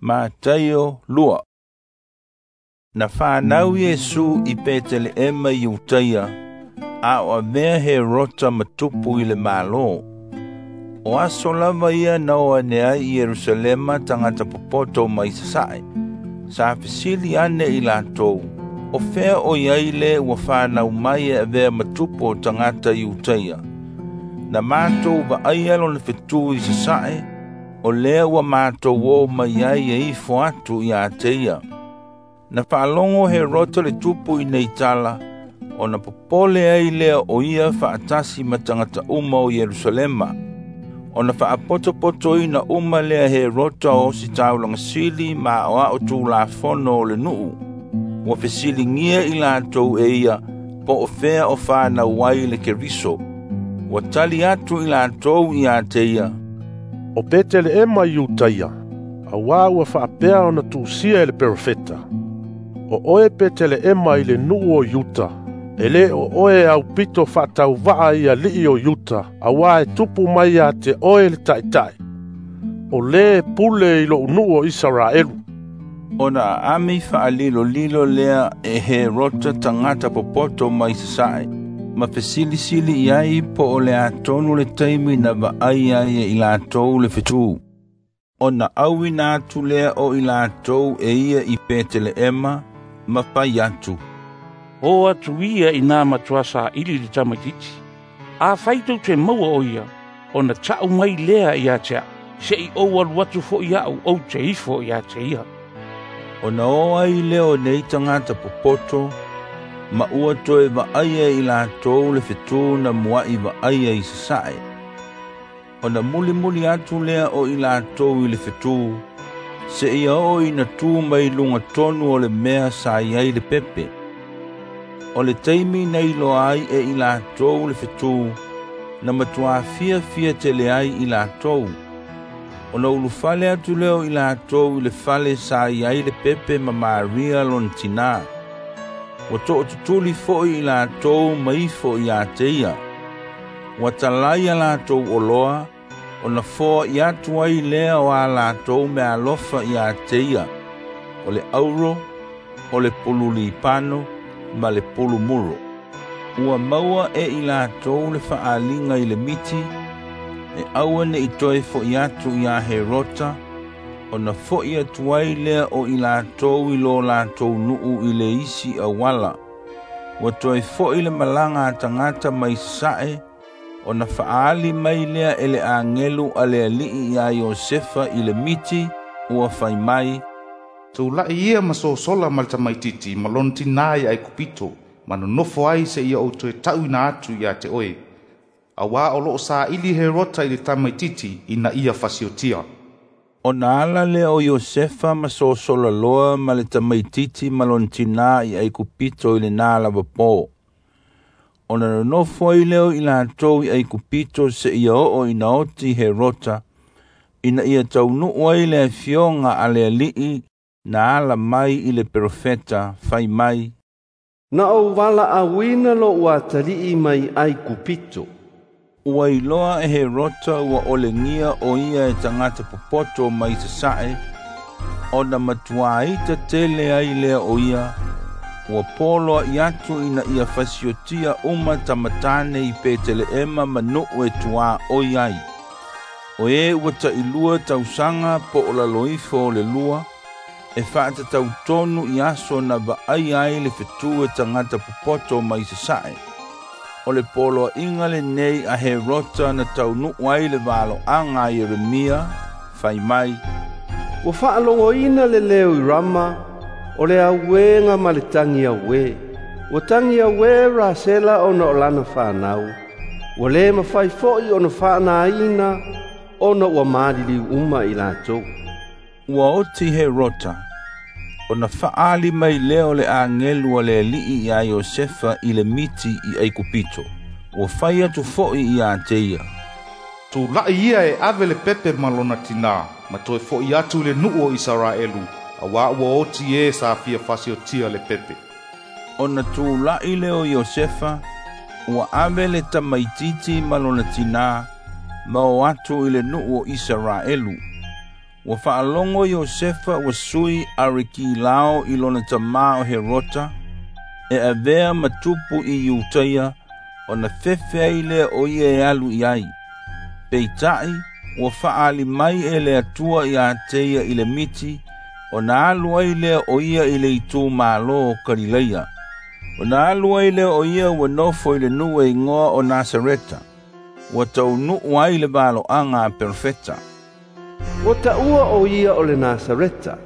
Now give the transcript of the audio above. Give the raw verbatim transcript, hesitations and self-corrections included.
Mataio lua. Na fanau Iesu i Peteleema i Iutaia, a o avea Herota ma tupu i le Malo. O aso lava ia na o ane ai i Ierusalema tagata popoto mai sasae. Sa fesili ane i latou, o fea o i ai le ua fanau mai e avea ma tupu o tagata Iutaia. Na matou vaaia lona fetu i sasae, o lea ua matou o mai ai e ifo atu ia te ia. Na faalogo Herota le tupu i nei tala, ona popole ai lea o ia faatasi ma tagata uma o Ierusalema. Ona faapotopotoina uma lea Herota o ositaulaga sili ma aoao tulafono o le nuu. Ua fesiligia i latou e ia po o fea o fanau ai le Keriso. Ua tali atu i latou ia te ia, O Peteleema i Iutaia, auā ua faapea ona tuusia e le perofeta. O oe Peteleema i le nuu o Iuta, e lē o oe e aupito faatauvaa i alii o Iuta, auā e tupu mai ia te oe le Taitai, o lē e pule i lo'u nuu o Isaraelu. Ona aami faalilolilo lea e Herota tagata popoto mai sasae, ma fesilisili i ai po o le atonu le taimi na vaai ai e i latou le fetu. Ona auina atu lea o i latou e ia i Peteleema ma fai atu, O atu ia i nā matua saili le tamaitiiti. Afai tou te maua o ia, ona ta'u mai lea ia te a'u, se'i ou alu atu fo'i a'u ou te ifo ia te ia. Ona o ai lea o nei tagata popoto, ma ua toe vaaia i latou le fetu na mua'i vaaia i sasae. Ona mulimuli atu lea o i latou i le fetu, seia oo ina tu mai luga tonu o le mea sa i ai le pepe. O le taimi na iloa ai e i latou le fetu, na matuā fiafia tele ai i latou. Ona ulufale atu lea o i latou i le fale sa i ai le pepe ma Maria lona tinā. Ua to'atutuli fo'i i latou ma ifo ia te ia. Ua talai a latou oloa, ona foa'i atu ai lea o a latou meaalofa ia te ia, o le auro, o le pulu lipano, ma le pulu muro. Ua maua e i latou le faaaliga i le miti, e aua ne'i toe fo'i atu iā Herota, ona fo'i atu ai lea o i latou i lo latou nuu i le isi auala. Ua toe fo'i le malaga a tagata mai sasae, ona faaali mai lea e le agelu a le Alii iā Iosefa i le miti, ua fai mai, Tula'i ia ma sosola ma le tamaitiiti ma lona tinā i Aikupito, ma nonofo ai seia ou toe ta'uina atu ia te oe. Auā o lo'o saili Herota i le tamaitiiti ina ia fasiotia. Ona ala lea o Iosefa ma sosola loa ma le tamaitiiti ma lona tinā i Aikupito i lenā lava pō. Ona nonofo ai lea o i latou i Aikupito seia oo ina oti Herota, ina ia taunuu ai le afioga a le Alii na ala mai i le perofeta fai mai, Na ou valaauina lo'u atalii mai Aikupito. Ua iloa e Herota ua olegia o ia e tagata popoto mai sasae, ona matuā ita tele ai lea o ia, ua poloa'i atu ina ia fasiotia uma tamatane i Peteleema ma nuu e tuaoi ai. O e ua ta'ilua tausaga po o lalo ifo o le lua, e faatatau tonu i aso na vaaia ai le fetu e tagata popoto mai sasae. O le poloa'iga lenei a Herota na taunuu ai le valoaga a Ieremia, fai mai, Ua faalogoina le leo i Rama, o le auēga ma le tagi auē. Ua tagi auē Rasela ona o lana fanau. Ua lē mafai fo'i ona faanāina ona ua maliliu uma i latou. Ua oti Herota, ona faaali mai lea o le agelu a le Alii iā Iosefa i le miti i Aikupito. Ua fai atu fo'i ia te ia, Tula'i ia e ave le pepe ma lona tinā, ma toe fo'i atu i le nuu o Isaraelu, auā ua oti e sa fia fasiotia le pepe. Ona tula'i lea o Iosefa, ua ave le tamaitiiti ma lona tinā, ma o atu i le nuu o Isaraelu. Ua faalogo Iosefa ua sui Arikilao i lona tamā o Herota, e avea ma tupu i Iutaia, ona fefe ai lea o ia e alu i ai. Peitaʻi, ua faaali mai e le Atua ia te ia i le miti, ona alu ai lea o ia i le itumalo o Kalileia. Ona alu ai lea o ia ua nofo i le nuu e igoa o Nasareta, ua taunuu ai le valoaga a perofeta. Ua taua o ia o le Nasareta.